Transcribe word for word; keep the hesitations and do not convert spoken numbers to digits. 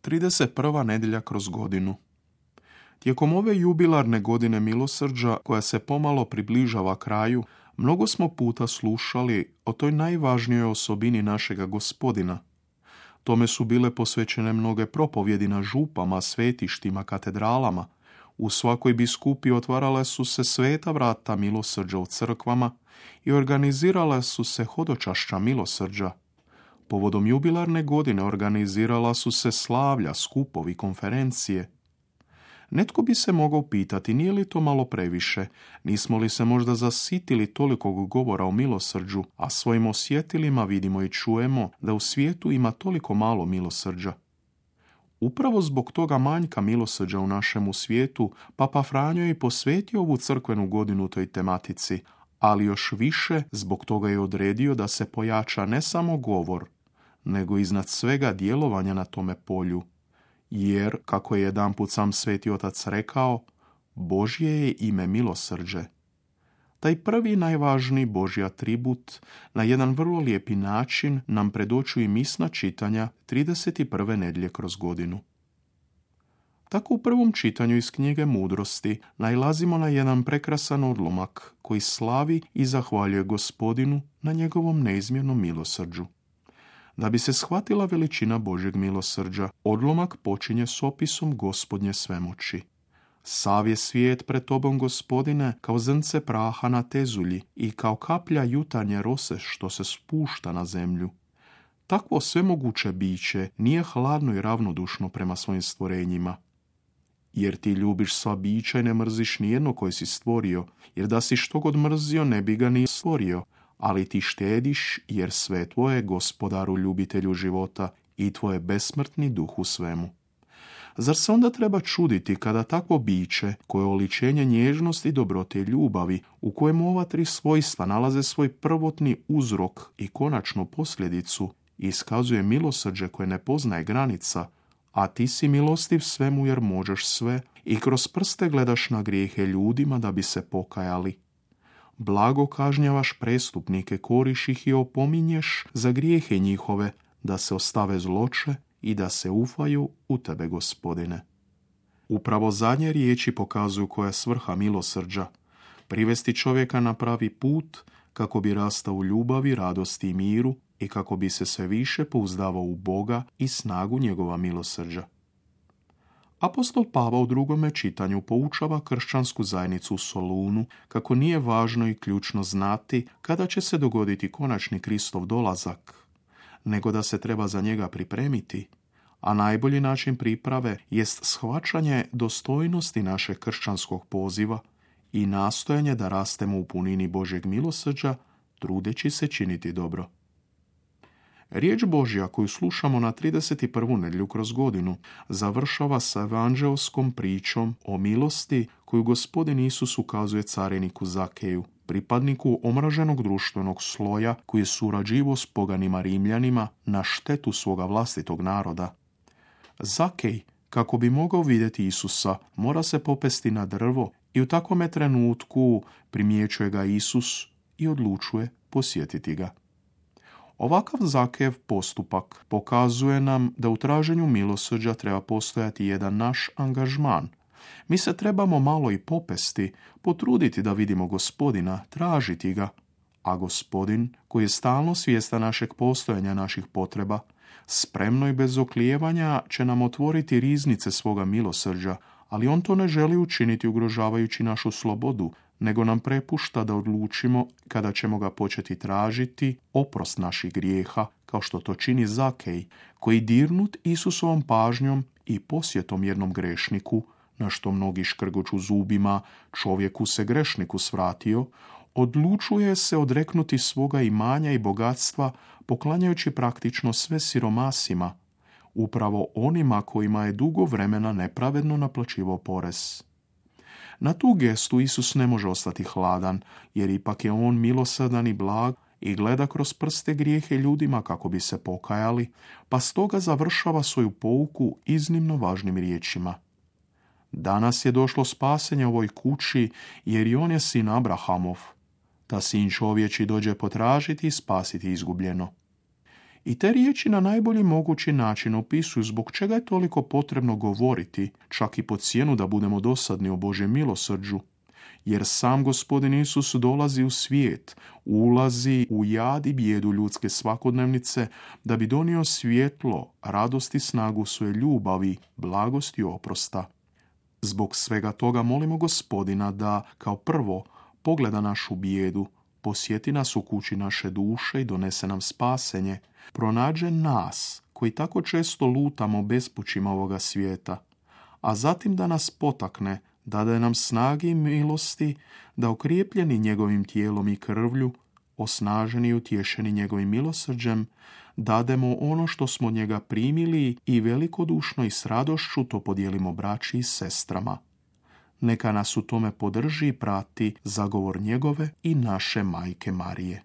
trideset prva nedjelja kroz godinu. Tijekom ove jubilarne godine milosrđa, koja se pomalo približava kraju, mnogo smo puta slušali o toj najvažnijoj osobini našega Gospodina. Tome su bile posvećene mnoge propovjedi na župama, svetištima, katedralama. U svakoj biskupiji otvarale su se sveta vrata milosrđa u crkvama i organizirale su se hodočašća milosrđa. Povodom jubilarne godine organizirala su se slavlja, skupovi, konferencije. Netko bi se mogao pitati, nije li to malo previše, nismo li se možda zasitili tolikog govora o milosrđu, a svojim osjetilima vidimo i čujemo da u svijetu ima toliko malo milosrđa. Upravo zbog toga manjka milosrđa u našemu svijetu, Papa Franjo je posvetio ovu crkvenu godinu toj tematici, ali još više zbog toga je odredio da se pojača ne samo govor, nego iznad svega djelovanja na tome polju. Jer, kako je jedanput sam Sveti Otac rekao, Božje je ime milosrđe. Taj prvi najvažniji Božji atribut na jedan vrlo lijepi način nam predočuju misna čitanja trideset prve nedjelje kroz godinu. Tako u prvom čitanju iz knjige Mudrosti nailazimo na jedan prekrasan odlomak koji slavi i zahvaljuje Gospodinu na njegovom neizmjernom milosrđu. Da bi se shvatila veličina Božjeg milosrđa, odlomak počinje s opisom Gospodnje svemoći. Sav je svijet pred tobom, Gospodine, kao zrnce praha na tezulji i kao kaplja jutarnje rose što se spušta na zemlju. Takvo svemoguće biće nije hladno i ravnodušno prema svojim stvorenjima. Jer ti ljubiš sva bića i ne mrziš nijedno koje si stvorio, jer da si što god mrzio ne bi ga ni stvorio, ali ti štediš jer sve tvoje, Gospodaru ljubitelju života, i tvoje besmrtni duh u svemu. Zar se onda treba čuditi kada takvo biće, koje je oličenje nježnosti, dobrote i ljubavi, u kojemu ova tri svojstva nalaze svoj prvotni uzrok i konačnu posljedicu, iskazuje milosrđe koje ne poznaje granica, a ti si milostiv svemu jer možeš sve i kroz prste gledaš na grijehe ljudima da bi se pokajali. Blago kažnjavaš prestupnike, koriš ih i opominješ za grijehe njihove, da se ostave zloče i da se ufaju u tebe, Gospodine. Upravo zadnje riječi pokazuju koja je svrha milosrđa, privesti čovjeka na pravi put kako bi rastao u ljubavi, radosti i miru i kako bi se sve više pouzdavao u Boga i snagu njegova milosrđa. Apostol Pavao u drugome čitanju poučava kršćansku zajednicu u Solunu kako nije važno i ključno znati kada će se dogoditi konačni Kristov dolazak, nego da se treba za njega pripremiti, a najbolji način priprave jest shvaćanje dostojnosti našeg kršćanskog poziva i nastojanje da rastemo u punini Božjeg milosrđa, trudeći se činiti dobro. Riječ Božja koju slušamo na trideset prvu nedjelju kroz godinu završava sa evanđeoskom pričom o milosti koju Gospodin Isus ukazuje cariniku Zakeju, pripadniku omraženog društvenog sloja koji je surađivao s poganima Rimljanima na štetu svoga vlastitog naroda. Zakej, kako bi mogao vidjeti Isusa, mora se popesti na drvo i u takvome trenutku primjećuje ga Isus i odlučuje posjetiti ga. Ovakav Zakejev postupak pokazuje nam da u traženju milosrđa treba postojati jedan naš angažman. Mi se trebamo malo i popesti, potruditi da vidimo Gospodina, tražiti ga, a Gospodin, koji je stalno svjestan našeg postojanja, naših potreba, spremno i bez oklijevanja će nam otvoriti riznice svoga milosrđa, ali on to ne želi učiniti ugrožavajući našu slobodu, nego nam prepušta da odlučimo kada ćemo ga početi tražiti oprost naših grijeha, kao što to čini Zakej, koji dirnut Isusovom pažnjom i posjetom jednom grešniku, na što mnogi škrgoču zubima, čovjeku se grešniku svratio, odlučuje se odreknuti svoga imanja i bogatstva, poklanjajući praktično sve siromasima, upravo onima kojima je dugo vremena nepravedno naplaćivao porez. Na tu gestu Isus ne može ostati hladan, jer ipak je on milosrdan i blag i gleda kroz prste grijehe ljudima kako bi se pokajali, pa stoga završava svoju pouku iznimno važnim riječima. Danas je došlo spasenje ovoj kući, jer i on je sin Abrahamov. Ta sin čovječi dođe potražiti i spasiti izgubljeno. I te riječi na najbolji mogući način opisuju zbog čega je toliko potrebno govoriti, čak i pod cijenu da budemo dosadni o Božjem milosrđu. Jer sam Gospodin Isus dolazi u svijet, ulazi u jad i bijedu ljudske svakodnevnice da bi donio svjetlo, radost i snagu svoje ljubavi, blagosti i oprosta. Zbog svega toga molimo Gospodina da, kao prvo, pogleda našu bijedu, posjeti nas u kući naše duše i donese nam spasenje, pronađe nas, koji tako često lutamo bespućima ovoga svijeta, a zatim da nas potakne, dade nam snage i milosti, da okrijepljeni njegovim tijelom i krvlju, osnaženi i utješeni njegovim milosrđem, dademo ono što smo od njega primili i velikodušno i s radošću to podijelimo braći i sestrama. Neka nas u tome podrži i prati zagovor njegove i naše majke Marije.